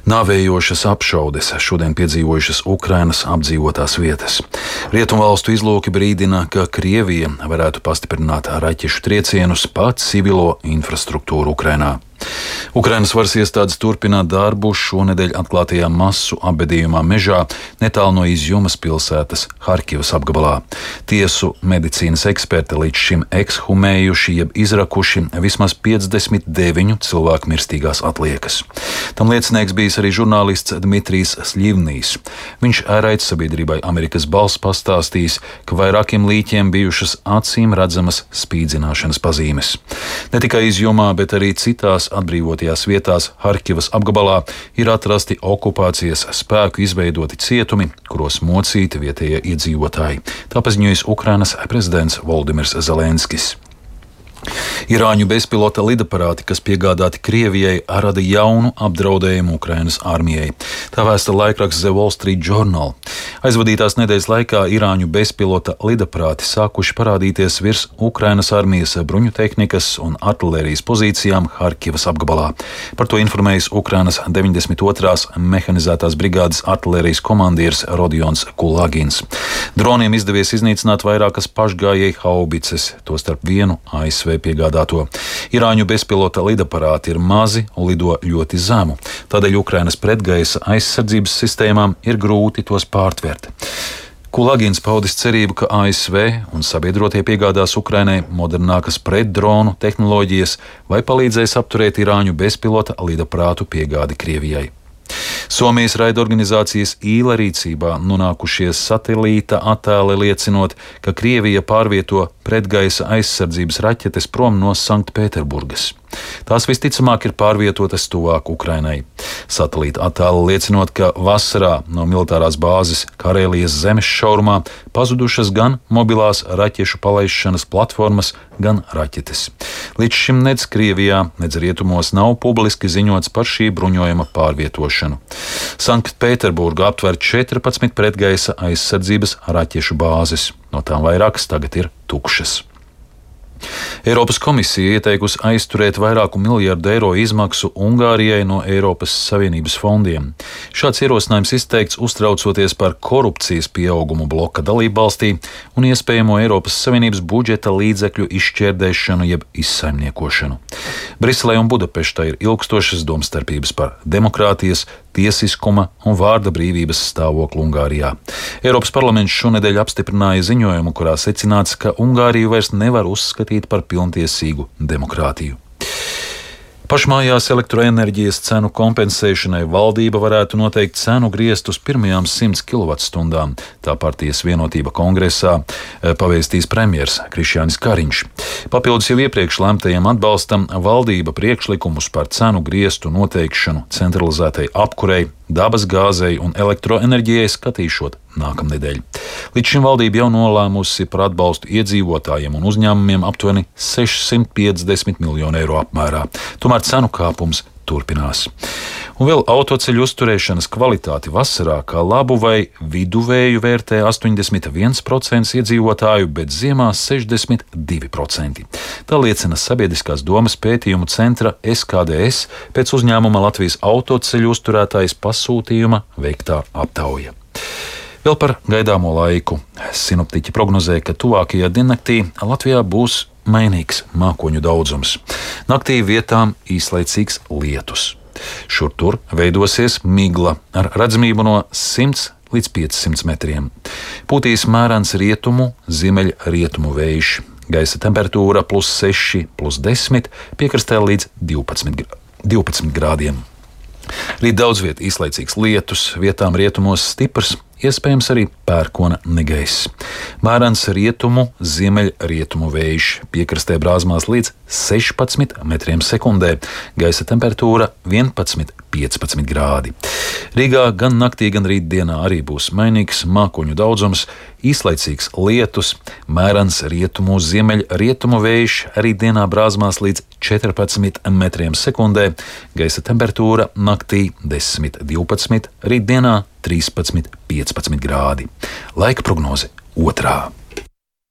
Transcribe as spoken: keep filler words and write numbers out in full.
Nāvējošas apšaudes šodien piedzīvojušas Ukrainas apdzīvotās vietas. Rietumvalstu izlūki brīdina, ka Krievija varētu pastiprināt raķešu triecienus pa civilo infrastruktūru Ukrainā. Ukrainas varas iestādes turpina darbu šonedēļ atklātajā masu apbedījumā mežā netālu no Izjumas pilsētas Harkivas apgabalā. Tiesu medicīnas eksperti līdz šim ekshumējuši jeb izrakuši vismaz piecdesmit deviņu cilvēku mirstīgās atliekas. Tam liecinieks bijis arī žurnālists Dmitrijs Sļivnijs. Viņš raidsabiedrībai Amerikas Balss pastāstījis, ka vairākiem līķiem bijušas acīm redzamas spīdzināšanas pazīmes. Ne tikai Izjumā, bet arī citās atbrīvotajās vietās Harkivas apgabalā ir atrasti okupācijas spēku izveidoti cietumi, kuros mocīti vietējie iedzīvotāji. Tā paziņojis Ukrainas prezidents Voldimirs Zelenskis. Irāņu bezpilota lidaparāti, kas piegādāti Krievijai, rada jaunu apdraudējumu Ukrainas armijai. Tā vēsta laikraksts The Wall Street Journal. Aizvadītās nedēļas laikā Irāņu bezpilota lidaparāti sākuši parādīties virs Ukrainas armijas bruņutehnikas un artilērijas pozīcijām Harkivas apgabalā. Par to informējis Ukrainas deviņdesmit otrās mehanizētās brigādes artilērijas komandieris Rodions Kulagins. Droniem izdevies iznīcināt vairākas pašgājēju haubices, tostarp vienu A S V piegādāto. Irāņu bezpilota lidaparāti ir mazi un lido ļoti zemu, tādēļ Ukrainas pretgaisa aizsardzības sistēmām ir grūti tos pārtvert. Kulagins paudis cerību, ka A S V un sabiedrotie piegādās Ukrainai modernākas pretdronu tehnoloģijas vai palīdzēs apturēt Irāņu bezpilota lidaparātu piegādi Krievijai. Somijas raidorganizācijas Īla rīcībā nonākušies satelīta attēli liecinot, ka Krievija pārvieto pretgaisa aizsardzības raķetes prom no Sanktpēterburgas. Tās visticamāk ir pārvietotas tuvāk Ukrainai. Satelīta attēli liecinot, ka vasarā no militārās bāzes Karēlijas zemes šaurumā pazudušas gan mobilās raķešu palaišanas platformas, gan raķetes. Līdz šim nec Krievijā, nec rietumos nav publiski ziņots par šī bruņojuma pārvietošanu. Sanktpēterburga aptver četrpadsmit pretgaisa aizsardzības raķešu bāzes, no tām vairākas tagad ir tukšas. Eiropas komisija ieteikusi aizturēt vairāku miljardu eiro izmaksu Ungārijai no Eiropas Savienības fondiem. Šāds ierosinājums izteikts uztraucoties par korupcijas pieaugumu bloka dalībvalstī un iespējamo Eiropas Savienības budžeta līdzekļu izšķērdēšanu jeb izsaimniekošanu. Briselē un Budapeštai ir ilgstošas domstarpības par demokrātijas, tiesiskuma un vārda brīvības stāvokli Ungārijā. Eiropas parlaments šonedēļ apstiprināja ziņojumu, kurā secināts, ka Ungāriju vairs nevar uzskatīt par pilntiesīgu demokrātiju. Pašmājās elektroenerģijas cenu kompensēšanai valdība varētu noteikt cenu griestus pirmajām simts kilovatstundām. Tā partijas Vienotība kongresā pavēstīs premjers Krišjānis Kariņš. Papildus jau iepriekš lemtajam atbalstam valdība priekšlikumus par cenu griestu noteikšanu centralizētai apkurei, dabas gāzei un elektroenerģijai skatīšot nākamnedēļ. Līdz šim valdība jau nolēmusi par atbalstu iedzīvotājiem un uzņēmumiem aptuveni sešsimt piecdesmit miljonu eiro apmērā. Tomēr cenu kāpums turpinās. Un vēl autoceļu uzturēšanas kvalitāti vasarā kā labu vai viduvēju vērtē astoņdesmit viens procents iedzīvotāju, bet ziemā sešdesmit divi procenti. Tā liecina Sabiedriskās domas pētījumu centra S K D S pēc uzņēmuma Latvijas autoceļu uzturētājas pasūtījuma veiktā aptauja. Vēl par gaidāmo laiku. Sinoptiķi prognozē, ka tuvākajā diennaktī Latvijā būs mainīgs mākoņu daudzums. Naktī vietām īslaicīgs lietus. Šur tur veidosies migla ar redzamību no simts līdz piecsimt metriem. Pūtīs mērens rietumu, ziemeļrietumu vējš. Gaisa temperatūra plus seši, plus desmit, piekrastē līdz divpadsmit grādiem. Rīt daudz viet īslaicīgs lietus, vietām rietumos stiprs, iespējams arī pērkona negaiss. Mērens rietumu, ziemeļrietumu vējš, piekrastē brāzmās līdz sešpadsmit metriem sekundē, gaisa temperatūra vienpadsmit, piecpadsmit grādi. Rīgā gan naktī, gan rītdienā arī būs mainīgs mākoņu daudzums, īslaicīgs lietus, mērens rietumu, ziemeļrietumu vējš, arī dienā brāzmās līdz četrpadsmit metriem sekundē, gaisa temperatūra naktī desmit, divpadsmit, rītdienā trīspadsmit, piecpadsmit grādi. Laika prognoze otrā.